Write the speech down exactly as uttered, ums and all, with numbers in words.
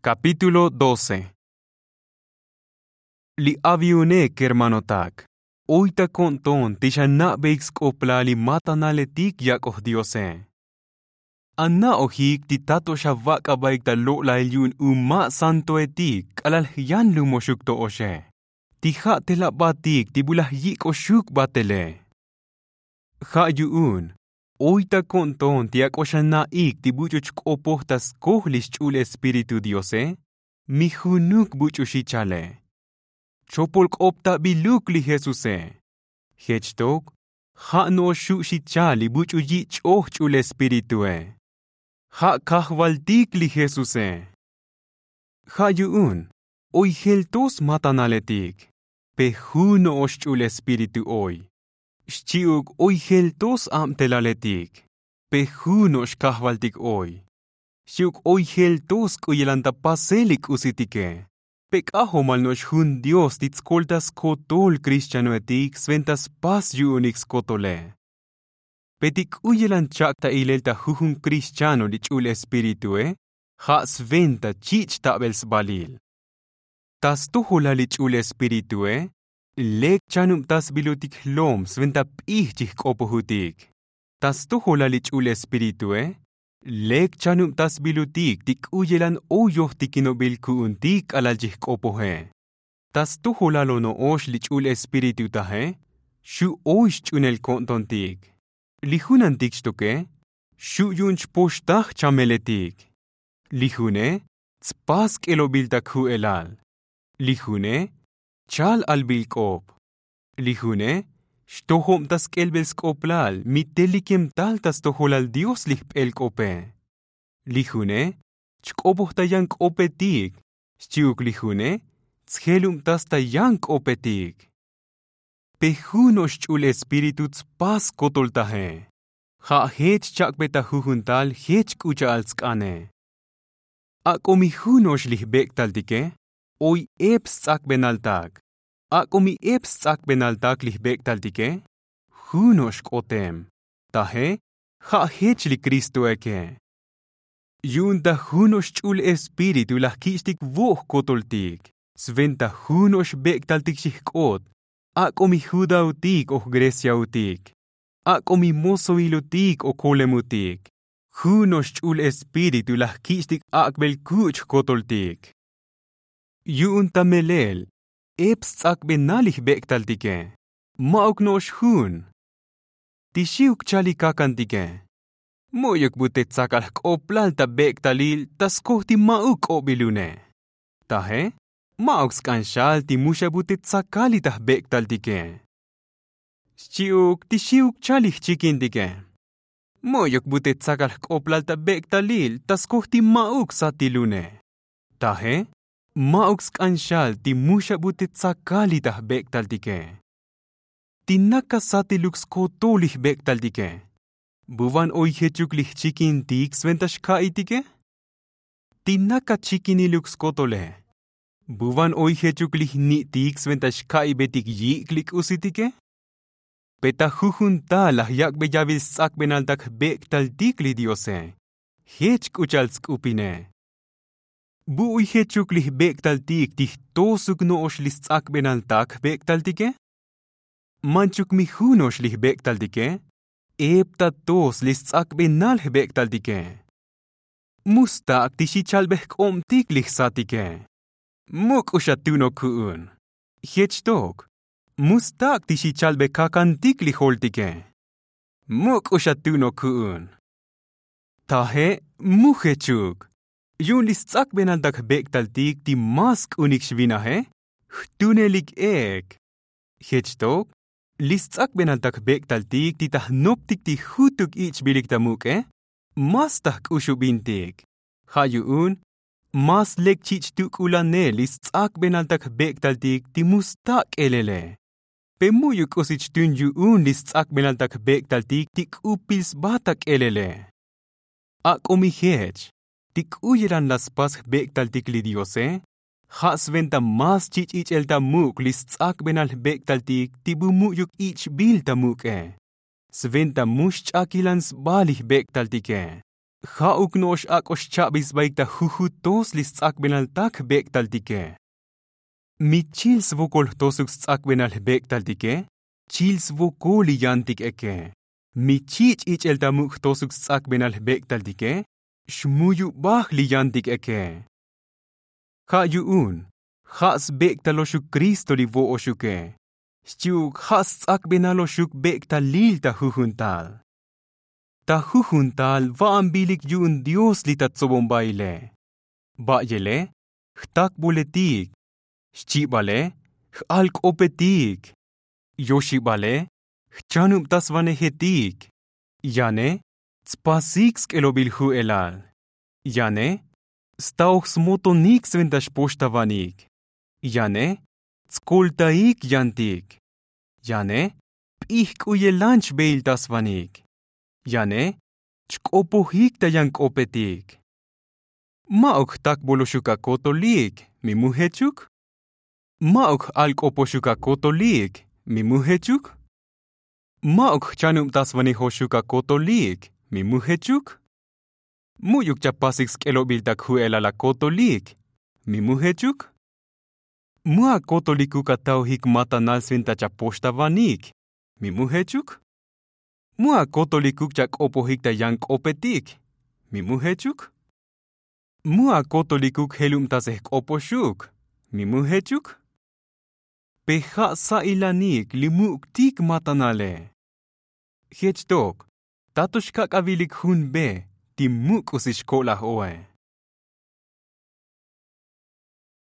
Kapítulo doce. Li aviune kermanotak, oy ta ko'nton ti xana'beik sk'oplal li matanaletik yak'oj diose. Ana'ojik ti ta to xavak'abaik ta lo'lail yu'un uma' santoetik k'alal jyanlumoxuk to oxe, ti ja' te labatik ti bu laj yik'oxuk batele. Ja' yu'un oy ta ko'nton ti ak'o xana'ik ti buch'u chk'opoj ta skoj li xch'ul espíritu diose, mi junuk buch'u xi chale. Chopolk'optabiluk li jesuse. Jech tok ja' no'ox xu' xi chal li buch'u yich'oj ch'ul espiritue. Ja' kajvaltik li jesuse. Ja' yu'un oy jel to smatanaletik, pe ju' no'ox ch'ul espíritu oy. Xchi'uk oy jel to s-abtelaletik, pe ju' no'ox kajvaltik oy. Xchi'uk oy jel to sk'uyelan ta pasel li k'usitike, pe k'ajomal no'ox jun dios ti tskolta skotol krixchanoetik sventa spas yu'unik skotole. Pe ti k'uyelan chak' ta ilel ta jujun krixchano li ch'ul espiritue, ja' sventa chich' tabel sbalil. Ta stojolal li ch'ul espiritue lek chanubtasbilutik jlom sventa p'ij chijk'opojutik. Ta stojolal li ch'ul espiritue lek chanubtasbilutik ti k'uyelan oy yojtikinobil ku'untik k'alal chijk'opoje. Ta stojolal ono'ox li ch'ul espíritu taje, xu' oy xch'unel ko'ntontik. Li junantik xtoke xu' yu'un chpoxtaj chameletik. Li june tspas k'elobil ta kju'elal. Li june chal albil k'op. Li june xtojob ta sk'elbel sk'oplal mi telikem tal ta stojolal dios li jp'el k'ope. Li june chk'opoj ta yan k'opetik. Xchi'uk li june tsjelubtas ta yan k'opetik. Pe ju' no'ox ch'ul espíritu tspas skotol taje. Ja' jech chak'be ta jujun tal jech k'u cha'al tsk'ane. Ak'o mi ju' no'ox li jbek'taltike oy ep sts'akbenaltak. Ak'o mi ep sts'akbenaltak li jbek'taltike, ju' no'ox k'otem. Taje ja' jech li kristoeke. Yu'un ta ju' no'ox ch'ul espíritu laj kich'tik vo' jkotoltik, sventa ju' no'ox jbek'taltik xijk'ot. Ak'o mi judaotik o jgreciaotik, ak'o mi mozoilotik o kolemotik, ju' no'ox ch'ul espíritu laj kich'tik ak'bel kuch' jkotoltik. Yu'un ta melel ep sts'akbenal li jbek'taltike, ma'uk no'ox jun. Ti xi'uk chal li kakantike, mu'yuk bu te tsakal jk'oplal ta bek'talil ta skoj ti ma'uk k'obilune. Taje ma'uk sk'an xal ti mu xa bu te tsakal li ta jbek'taltike. Xchi'uk ti xi'uk chal li jchikintike, mu'yuk bu te tsakal jk'oplal ta bek'talil ta skoj ti ma'uk satilune. Taje ma'uk sk'an xal ti mu xa bu te tsakal li ta jbek'taltike. Ti naka satiluk skotol li jbek'taltike, bu van oy jechuk li jchikintik sventa xka'itike? Ti naka chikiniluk skotole, bu van oy jechuk li jni'tik sventa xka'ibetik yik' li k'usitike? Pe ta jujun tal laj yak'be yavil sts'akbenaltak jbek'taltik li diose, jech k'u cha'al tsk'upine. Bu oy jechuk li jbek'taltik ti jtosuk no'ox li sts'akbenaltak jbek'taltike? Manchuk mi ju' no'ox li jbek'taltike ep ta tos li sts'akbenal jbek'taltike. Mu stak' ti xi chalbe jk'obtik li jsatike, muk'u xa tu'nok ku'un. Jech tok mu stak' ti xi chalbe kakantik li joltike, muk'u xa tu'nok ku'un. Taje mu jechuk, yu'un li sts'akbenaltak jbek'taltik ti ma sk'unik xvinaje jtunelik ek. Jech tok li sts'akbenaltak jbek'taltik ti ta jnoptik ti jutuk ich'bilik ta muk'e, mas ta jk'uxubintik. Ja' yu'un mas lek chich' tuk'ulane li sts'akbenaltak jbek'taltik ti mu stak' k'elele. Pe mu'yuk k'usi chtun yu'un li sts'akbenaltak jbek'taltik ti k'upil sba ta k'elele. Ak'o mi jech ti k'uyelan la spas jbek'taltik li diose, ja' sventa mas chich' ich'el ta muk' li sts'akbenal jbek'taltik ti bu mu'yuk ich'bil ta muk'e. Sventa mu xch'akilan sba li jbek'taltike. Ja'uk no'ox ak'o xcha'be sbaik ta jujut tos li sts'akbenal tak jbek'taltike. Mi chil svokol jtosuk sts'akbenal jbek'taltike, chil svokol li yantik eke. Mi chich' ich'el ta muk' jtosuk sts'akbenal jbek'taltike, xmuyubaj li yantik eke. Ja' yu'un ja' sbek'taloxuk kristo li vo'oxuke, xchi'uk ja' sts'akbenaloxuk bek'talil ta jujun tal. Ta jujun tal va'anbilik yu'un dios li ta tsobonbaile. Ba'yele jtakboletik, xchibale j'alk'opetik, yoxibale jchanubtasvanejetik, yane tspasik sk'elobil ju'elal, yane staoj smotonik sventa xpoxtavanik, yane tskoltaik yantik, yane p'ijk'uyelan chbeiltasvanik, yane chk'opojik ta yan k'opetik. Ma'uk jtakboloxuk akotolik mi mujechuk? Ma'uk j'alk'opoxuk akotolik mi mujechuk? Ma'uk jchanubtasvanejoxuk akotolik mi mujechuk? Mu'yuk chapasik sk'elobil tak ju'elal akotolik mi mujechuk? Mu akotolikuk ataojik matanal sventa chapoxtavanik mi mujechuk? Mu akotolikuk chak'opojik ta yan k'opetik mi mujechuk? Mu akotolikuk jelubtasej jk'opoxuk mi mujechuk? Pe ja' sa'ilanik li muk'tik matanale. Jech tok ta to xkak'avilik jun be ti muk' k'usi xko'laj oe.